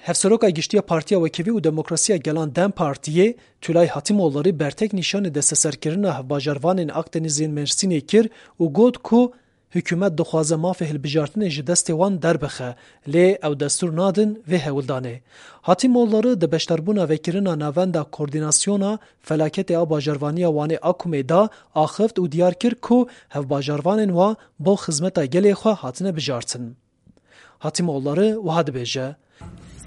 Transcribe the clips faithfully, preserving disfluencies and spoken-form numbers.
Hevseroka Giştî ya Partiya Wekevî û Demokrasiya Gelan DEM Partiyê Tülay Hatîmoğulları bertek nîşanî desteserkirina hevbajarvanên Akdenîzê yên Mêrsînê kir û got ku hikûmet dixwaze mafê hilbijartinê ji destê wan derbixe, lê ew destûr nadin vê hewldanê. Hatîmoğulları di beşdarbûna vekirina Navenda Koordînasyona Felaketê a Bajarvaniya Wanê Akumê de axift û diyar kir ku hevbajarvanên wa bo xizmeta gelê xwe hatine bijartin. Hatîmoğulları wiha dibêje: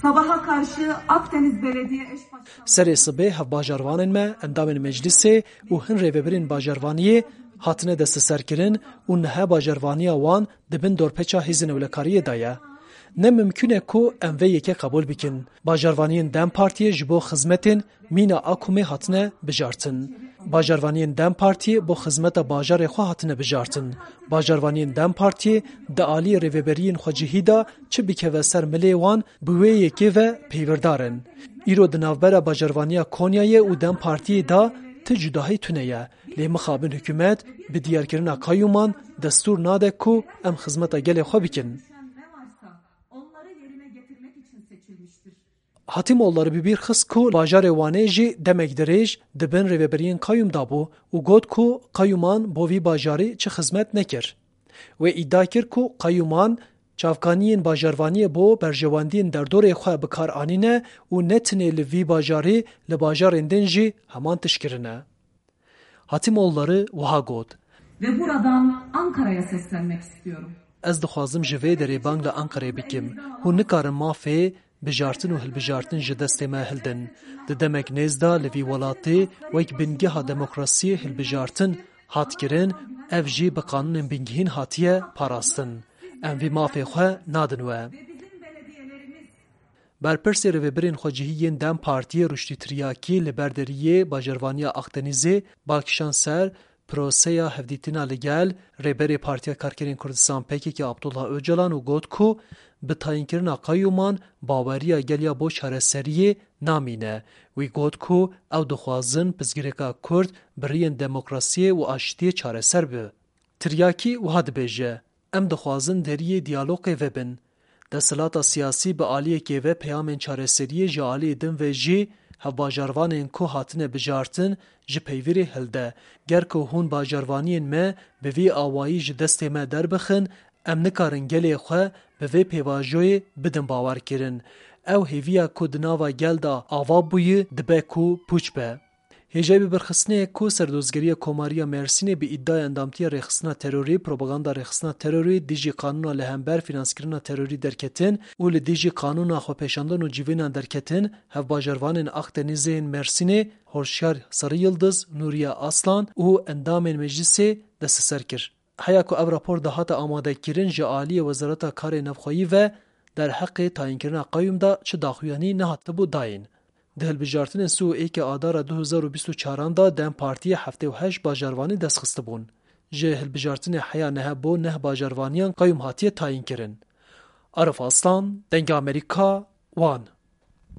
Sabaha karşı Akdeniz Belediye Eş Başkanı Serê sibê hevbajarvanên me, endamên meclisê û hin rêvebirên bajarvaniyê hatine desteserkirin û niha bajarvaniya wan di bin dorpêça hêzên ewlekariyê de ye. Ne mimkûn e ku em vê yekê qebûl bikin. Bajarvaniyên DEM Partiyê ji bo xizmetên mîna Akumê hatine bijartin. Bajarvaniyên DEM Partiyê bo xizmeta bajarê xwe hatine bijartin. Bajarvaniyên DEM Partiyê di aliyê rêveberiyên xwecihî de çi bikeve ser milê wan, bi wê yekê ve peywirdar in. Îro di navbera bajarvaniya Konyayê û DEM Partiyê de ti cudahî tune ye. Lê mixabin hikûmet bi diyarkirina qayûman destûr nade ku em xizmeta gelê xwe bikin. Hatîmoğulları bi bîr xist ku bajarê Wanê jî demek dirêj di bin rêveberiyên qayûm de bû û got ku qayûman bo vî bajarî çi xizmet nekir. Wê îdia kir ku qayûman çavkaniyên bajarvaniyê bo berjewendiyên derdorê xwe bi kar anîne û ne tenê li vî bajarî, li bajarên din jî heman tişt kirine. Hatîmoğulları wiha got: Ve buradan Ankara'ya seslenmek istiyorum. Ez dixwazim ji vê derê bang li Anqerê bikim. Hûn nikarin mafê bijartin û hilbijartin ji destê me hildin. Di demek nêz de li vî welatê wek bingeha demokrasiyê hilbijartin hat kirin, ev jî bi qanûnên bingehîn hatiye parastin. Em vî mafê xwe nadin we. Berpirsê rêvebirên xwecihî yên DEM Partiyê Ruştî Tiryakî li ber deriyê bajarvaniya Akdenîzê bal kişand ser proseya hevdîtina li gel Rêberê Partiya Karkerên Kurdistan P K K Abdullah Ocalan û got ku bi tayînkirina qayûman baweriya gel ya bo çareseriyê namîne. Wî got ku ew dixwazin pirsgirêka Kurd bi riyên demokrasiyê û aştiyê çareser bibe. Tiryakî wiha dibêje: Em dixwazin deriyê diyalogê vebin. Desthilata siyasî bi aliyekê ve peyamên çareseriyê ji aliyê din ve jî hevbajarvanên ku hatine bijartin ji peyvîrê hilde. Ger ku hûn bajarvaniyên me bi vî awayî ji destê me derbixin, em nikarin gelê xwe bi vê pêvajoyê bidin bawerkirin. Ew hêviya ku di nava gel de ava bûye dibe ku pûç be. Hêjayî bibirxistinê ye ku Serdozgeriya Komarî ya Mêrsînê bi îdaya endamtiya rêxistina terorî, propaganda rêxistina terorî, dijî qanûna li hember fînanskirina terorî derketin û li dijî qanûna xwepêşandan û civînan derketin, hevbajarvanên Akdenîzê yên Mêrsînê Hoşyar Sarıyıldız, Nuriye Aslan û endamên meclisê desteser kir. Heya ku ev rapor dihate amadekirin, ji aliyê Wezareta Karê Navxweyî ve derheqê tayînkirina qayûm de çi daxuyanî nehatibû dayîn. Di hilbijartinên sî û êkê Adara du hezar û bîst û çaran de DEM Partiyê heftê û heşt bajarvanî dest xistibûn. Ji hilbijartinê heya niha bo neh bajarvaniyan qayûm hatiye tayînkirin. Arif Aslan, Dengê Amerîka, Wan.